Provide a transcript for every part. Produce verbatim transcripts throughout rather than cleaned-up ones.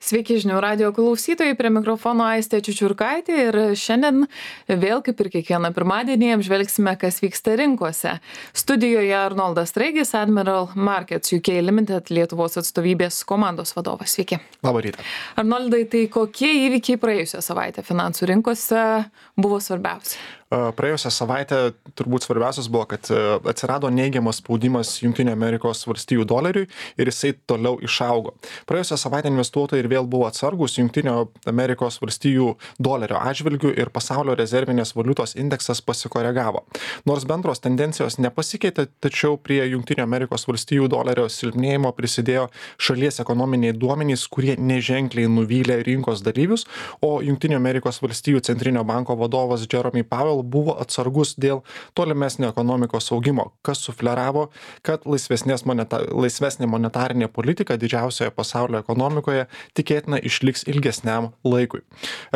Sveiki žinių radijo klausytojai, prie mikrofono Aistė Čiučiurkaitė ir šiandien vėl kaip ir kiekvieną pirmadienį apžvelgsime, kas vyksta rinkose. Studijoje Arnoldas Straigis, Admiral Markets U K Limited Lietuvos atstovybės komandos vadovas. Sveiki. Labą rytą. Arnoldai, tai kokie įvykiai praėjusią savaitę finansų rinkose buvo svarbiausi? Praėjusią savaitę turbūt svarbiausias buvo, kad atsirado neigiamas spaudimas Jungtinių Amerikos valstijų doleriui ir jisai toliau išaugo. Praėjusią savaitę investuotojai ir vėl buvo atsargus Jungtinių Amerikos valstijų dolerio atžvilgių ir pasaulio rezervinės valiutos indeksas pasikoregavo. Nors bendros tendencijos nepasikeitė, tačiau prie Jungtinių Amerikos valstijų dolerio silpnėjimo prisidėjo šalies ekonominiai duomenys, kurie neženkliai nuvylė rinkos dalyvius, o Jungtinių Amerikos valstijų centrinio banko vadovas Jerome Powell buvo atsargus dėl tolimesnio ekonomikos augimo, kas sufleravo, kad moneta, laisvesnė monetarinė politika didžiausioje pasaulio ekonomikoje tikėtina išliks ilgesniam laikui.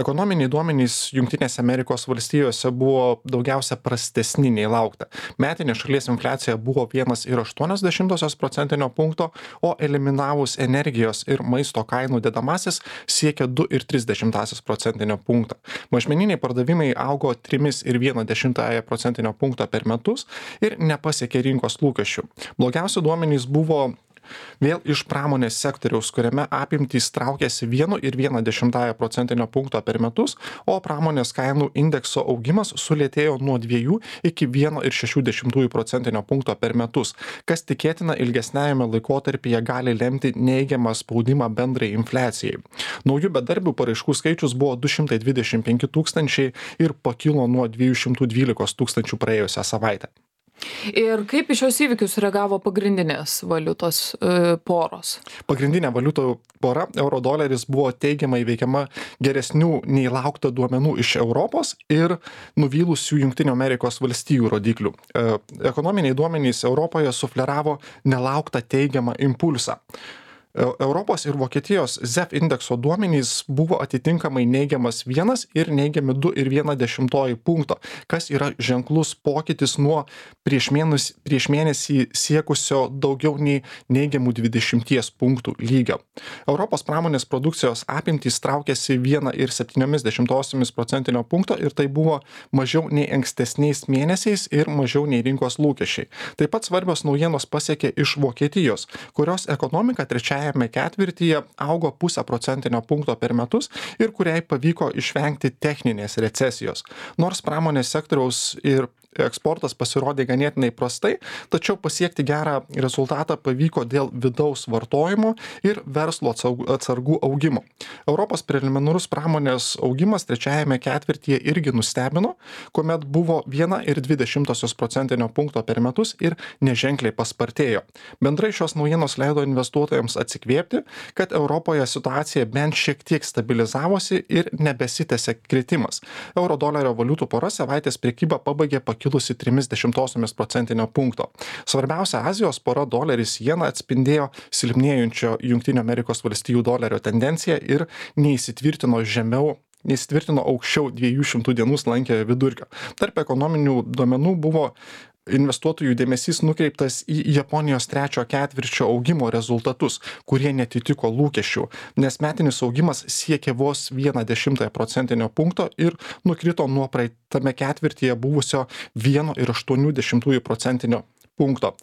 Ekonominiai duomenys Jungtinėse Amerikos valstijose buvo daugiausia prastesni nei laukta. Metinė šalies infliacija buvo vienas ir aštuonios dešimtosios procentinio punkto, o eliminavus energijos ir maisto kainų dedamasis siekia du ir tris dešimtąsias procentinio punkto. Mažmeniniai pardavimai augo trimis ir vieną dešimtąją procentinio punkto per metus ir nepasiekė rinkos lūkesčių. Blogiausi duomenys buvo vėl iš pramonės sektoriaus, kuriame apimtys traukėsi vienu ir vieną dešimtąją procentinio punkto per metus, o pramonės kainų indekso augimas sulėtėjo nuo dviejų iki vieno ir šešių dešimtųjų procentinio punkto per metus, kas tikėtina ilgesniajame laikotarpyje gali lemti neigiamą spaudimą bendrai infliacijai. Naujų bedarbių paraiškų skaičius buvo du šimtai dvidešimt penki tūkstančiai ir pakilo nuo dviejų šimtų dvylikos tūkstančių praėjusią savaitę. Ir kaip į šios įvykius reagavo pagrindinės valiutos e, poros? Pagrindinė valiutų pora, euro doleris, buvo teigiamai veikiama geresnių nei laukta duomenų iš Europos ir nuvylusių Jungtinių Amerikos valstijų rodiklių. E, ekonominiai duomenys Europoje sufleravo nelauktą teigiamą impulsą. Europos ir Vokietijos Z E F indekso duomenys buvo atitinkamai neigiamas vienas ir neigiami du ir viena dešimtoji punkto, kas yra ženklus pokytis nuo prieš mėnesį, prieš mėnesį siekusio daugiau nei neigiamų dvidešimties punktų lygio. Europos pramonės produkcijos apimtys traukėsi viena ir septyniomis dešimtosiomis procentinio punkto ir tai buvo mažiau nei ankstesniais mėnesiais ir mažiau nei rinkos lūkesčiai. Taip pat svarbios naujienos pasiekė iš Vokietijos, kurios ekonomika trečiajame ketvirtyje augo pusę procentinio punkto per metus ir kuriai pavyko išvengti techninės recesijos. Nors pramonės sektoriaus ir eksportas pasirodė ganėtinai prastai, tačiau pasiekti gerą rezultatą pavyko dėl vidaus vartojimo ir verslo atsargų augimo. Europos preliminarus pramonės augimas trečiajame ketvirtyje irgi nustebino, kuomet buvo viena ir dvi dešimtosios procentinio punkto per metus ir neženkliai paspartėjo. Bendrai šios naujienos leido investuotojams atsikvėpti, kad Europoje situacija bent šiek tiek stabilizavosi ir nebesitęsė kritimas. Euro dolerio valiutų pora savaitės prekybą pabaigė kilusi trimis dešimtosiomis procentinio punkto. Svarbiausia Azijos pora doleris jena atspindėjo silpnėjančio Jungtinių Amerikos valstijų dolerio tendenciją ir neįsitvirtino žemiau neįsitvirtino aukščiau dviejų šimtų dienų slankiojo vidurkio. Tarp ekonominių duomenų buvo investuotojų dėmesys nukreiptas į Japonijos trečio ketvirčio augimo rezultatus, kurie netitiko lūkesčių, nes metinis augimas siekė vos vieną dešimtąją procentinio punkto ir nukrito nuo praeitame ketvirtyje buvusio vieno ir aštuonių dešimtųjų procentinio punkto.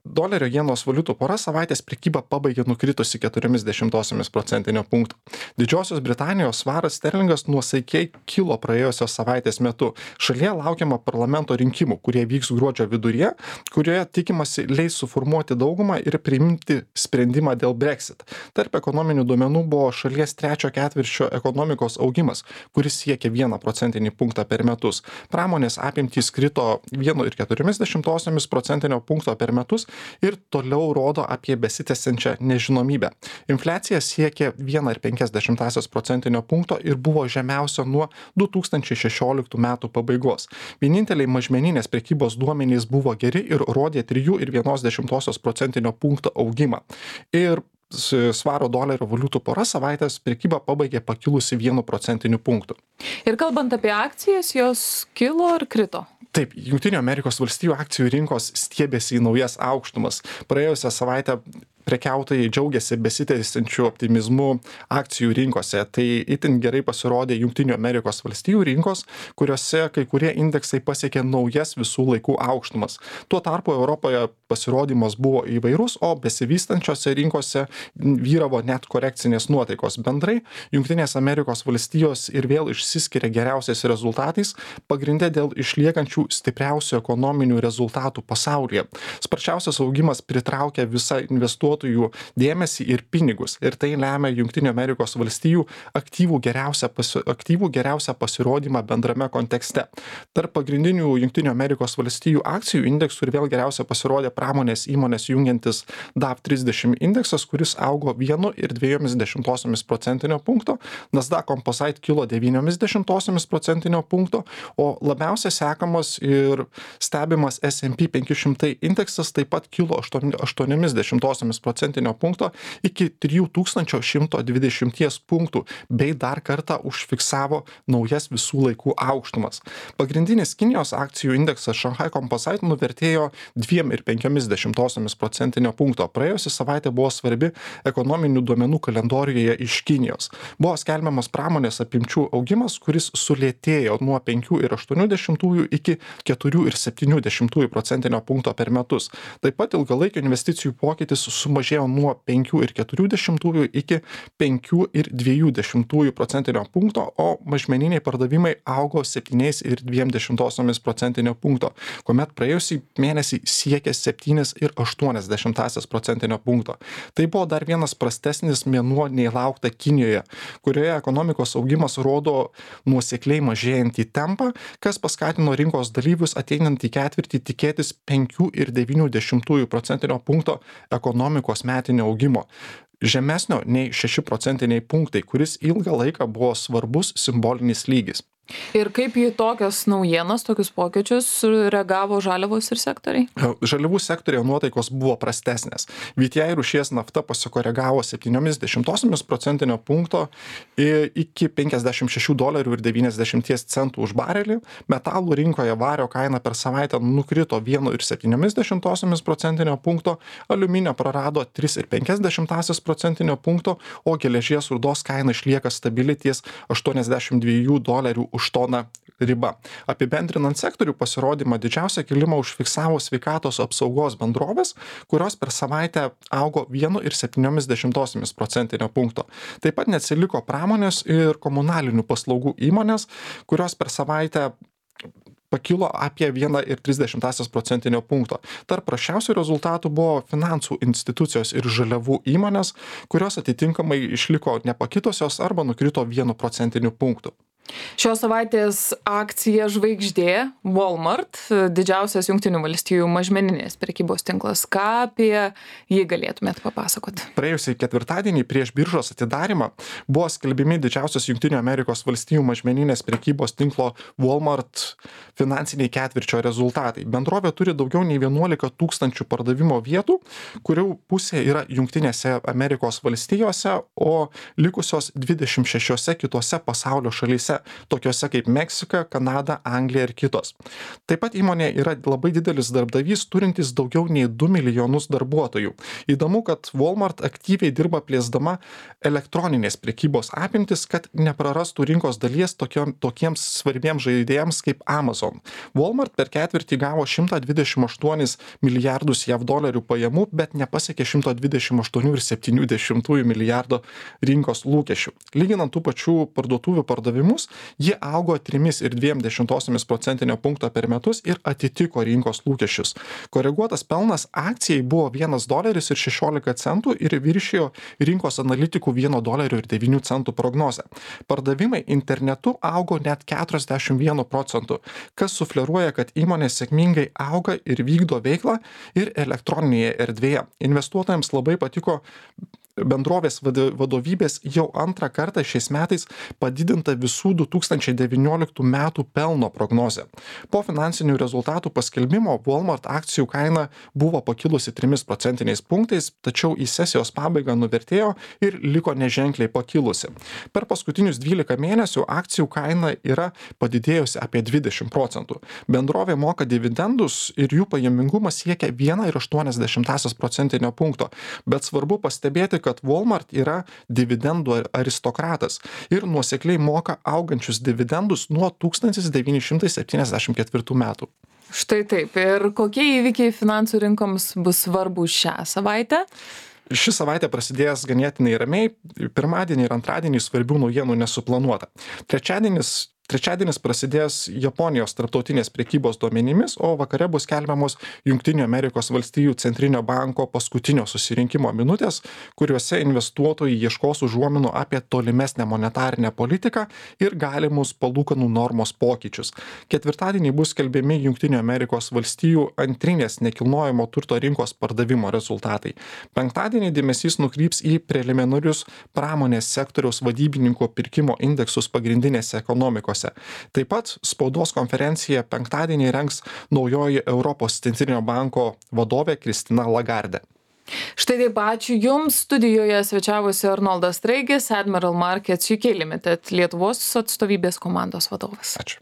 Dolerio jenos valiutų pora savaitės prekybą pabaigė nukritusi keturiomis dešimtosiomis procentinio punkto. Didžiosios Britanijos svaras sterlingas nuosaikiai kilo praėjusios savaitės metu. Šalyje laukiama parlamento rinkimų, kurie vyks gruodžio viduryje, kurioje tikimasi leis suformuoti daugumą ir priimti sprendimą dėl Brexit. Tarp ekonominių duomenų buvo šalies trečio ketvirčio ekonomikos augimas, kuris siekia vieną procentinį punktą per metus. Pramonės apimtys krito viena ir keturiomis dešimtosiomis procentinio punkto per metus ir toliau rodo apie besitęsiančią nežinomybę. Infliacija siekė vieną ir penkias dešimtąsias procentinio punkto ir buvo žemiausio nuo du tūkstančiai šešioliktų metų pabaigos. Vieninteliai mažmeninės prekybos duomenys buvo geri ir rodė trijų ir vienos dešimtosios procentinio punkto augimą. Ir svaro dolerio valiutų pora savaitės prekybą pabaigė pakilusi vienu procentiniu punktu. Ir kalbant apie akcijas, jos kilo ar krito? Taip, Jungtinių Amerikos valstijų akcijų rinkos stiebėsi į naujas aukštumas. Praėjusią savaitę prekiautojai džiaugiasi besitęsiančiu optimizmu akcijų rinkose. Tai itin gerai pasirodė Junktinių Amerikos valstijų rinkos, kuriuose kai kurie indeksai pasiekė naujas visų laikų aukštumas. Tuo tarpu Europoje pasirodymas buvo įvairus, o besivystančiose rinkose vyravo net korekcinės nuotaikos. Bendrai Junktinės Amerikos valstijos ir vėl išsiskiria geriausiais rezultatais, pagrinde dėl išliekančių stipriausių ekonominių rezultatų pasaulyje. Sparčiausias augimas pritraukia visą investuotojų dėmesį ir pinigus, ir tai lemia Junktinių Amerikos valstijų aktyvų geriausią, pasi, aktyvų geriausią pasirodymą bendrame kontekste. Tarp pagrindinių Junktinių Amerikos valstijų akcijų indeksų ir vėl geriausia pasirodė pramonės įmonės jungiantis D A V trisdešimt indeksas, kuris augo vienu ir dviejomis dešimtosiomis procentinio punkto, Nasdaq Composite kilo devyniomis dešimtosiomis procentinio punkto, o labiausiai sekamas ir stebimas S and P penki šimtai indeksas taip pat kilo aštuoniomis dešimtosiomis procentinio punkto iki trijų tūkstančių šimto dvidešimties punktų, bei dar kartą užfiksavo naujas visų laikų aukštumas. Pagrindinis Kinijos akcijų indeksas Shanghai Composite nuvertėjo dviem ir penkiomis dešimtosiomis procentinio punkto. Praėjusi savaitė buvo svarbi ekonominių duomenų kalendorijoje iš Kinijos. Buvo skelbiamas pramonės apimčių augimas, kuris sulėtėjo nuo penkių ir aštuonių dešimtųjų iki keturių ir septynių dešimtųjų procentinio punkto per metus. Taip pat ilgalaikio investicijų pokytis sumažėjo nuo penkių ir keturių dešimtųjų iki penkių ir dviejų dešimtųjų procentinio punkto, o mažmeniniai pardavimai augo septyniais ir dviem dešimtosiomis procentinio punkto, kuomet praėjusį mėnesį siekė septynis ir aštuonias dešimtąsias procentinio punkto. Tai buvo dar vienas prastesnis mėnuo nei laukta Kinijoje, kurioje ekonomikos augimas rodo nuosekliai mažėjantį tempą, kas paskatino rinkos dalyvius ateinantį ketvirtį tikėtis penkių ir devynių dešimtųjų procentinio punkto ekonomikos metinio augimo. Žemesnio nei šeši procentiniai punktai, kuris ilgą laiką buvo svarbus simbolinis lygis. Ir kaip į tokias naujienas, tokius pokyčius reagavo žaliavos ir sektoriai? Žaliavų sektorėje nuotaikos buvo prastesnės. V T I rūšies nafta pasikoregavo septyniomis dešimtosiomis procentinio punkto iki penkiasdešimt šešių dolerių ir devyniasdešimties centų už barelį. Metalų rinkoje vario kaina per savaitę nukrito vienu ir septyniomis dešimtosiomis procentinio punkto, aliuminio prarado tris ir penkias dešimtąsias procentinio punkto, o geležies rūdos kaina išlieka stabili ties aštuoniasdešimt dviejų dolerių už toną riba. Apibendrinant sektorių pasirodymą, didžiausią kilimą užfiksavo sveikatos apsaugos bendrovės, kurios per savaitę augo vienu ir septyniomis dešimtosiomis procentinio punkto. Taip pat neatsiliko pramonės ir komunalinių paslaugų įmonės, kurios per savaitę pakilo apie vieną ir tris dešimtąsias procentinio punkto. Tarp prasčiausių rezultatų buvo finansų institucijos ir žaliavų įmonės, kurios atitinkamai išliko nepakitusios arba nukrito vienu procentiniu punktu. Šios savaitės akcija žvaigždė Walmart, didžiausias Jungtinių valstijų mažmeninės prekybos tinklas. Ką apie jį galėtumėt papasakoti? Praėjusį ketvirtadienį prieš biržos atidarymą buvo skelbiami didžiausios Jungtinių Amerikos valstijų mažmeninės prekybos tinklo Walmart finansiniai ketvirčio rezultatai. Bendrovė turi daugiau nei vienuolika tūkstančių pardavimo vietų, kurių pusė yra Jungtinėse Amerikos valstijose, o likusios dvidešimt šešiose kitose pasaulio šalyse, tokiose kaip Meksika, Kanada, Anglija ir kitos. Taip pat įmonė yra labai didelis darbdavys, turintis daugiau nei du milijonus darbuotojų. Įdomu, kad Walmart aktyviai dirba plėsdama elektroninės prekybos apimtis, kad neprarastų rinkos dalies tokiom, tokiems svarbiems žaidėjams kaip Amazon. Walmart per ketvirtį gavo šimtą dvidešimt aštuonis milijardus jav dolerių pajamų, bet nepasiekė šimto dvidešimt aštuonių ir septynių dešimtųjų milijardo rinkos lūkesčių. Lyginant tų pačių parduotuvių pardavimus, jie augo trimis ir dviem dešimtosiomis procentinio punkto per metus ir atitiko rinkos lūkesčius. Koreguotas pelnas akcijai buvo vienas doleris ir šešiolika centų ir viršijo rinkos analitikų vieno dolerio ir devynių centų prognozę. Pardavimai internetu augo net keturiasdešimt vienu procentu, kas sufleruoja, kad įmonė sėkmingai auga ir vykdo veiklą ir elektroninėje erdvėje. Investuotojams labai patiko bendrovės vadovybės jau antrą kartą šiais metais padidinta visų du tūkstančiai devynioliktų metų pelno prognozė. Po finansinių rezultatų paskelbimo Walmart akcijų kaina buvo pakilusi trimis procentiniais punktais, tačiau į sesijos pabaigą nuvertėjo ir liko neženkliai pakilusi. Per paskutinius dvylika mėnesių akcijų kaina yra padidėjusi apie dvidešimt procentų. Bendrovė moka dividendus ir jų pajamingumas siekia vieną ir aštuonias dešimtąsias procentinio punkto. Bet svarbu pastebėti, kad Walmart yra dividendų aristokratas ir nuosekliai moka augančius dividendus nuo tūkstantis devyni šimtai septyniasdešimt ketvirtų metų. Štai taip. Ir kokie įvykiai finansų rinkoms bus svarbus šią savaitę? Ši savaitė prasidės ganėtinai ramiai. Pirmadienį ir antradienį svarbių naujienų nesuplanuota. Trečiadienis Trečiadienis prasidės Japonijos tarptautinės prekybos duomenimis, o vakare bus skelbiamos Jungtinių Amerikos valstijų centrinio banko paskutinio susirinkimo minutės, kuriuose investuotojai ieškos užuominų apie tolimesnę monetarinę politiką ir galimus palūkanų normos pokyčius. Ketvirtadienį bus skelbiami Jungtinių Amerikos valstijų antrinės nekilnojamo turto rinkos pardavimo rezultatai. Penktadienį dėmesys nukryps į preliminarius pramonės sektoriaus vadybininkų pirkimo indeksus pagrindinėse ekonomikose. Taip pat spaudos konferenciją penktadienį rengs naujoji Europos centrinio banko vadovė Kristina Lagarde. Štai taip, ačiū Jums. Studijoje svečiavosi Arnoldas Straigis, Admiral Markets U K Limited, Lietuvos atstovybės komandos vadovas. Ačiū.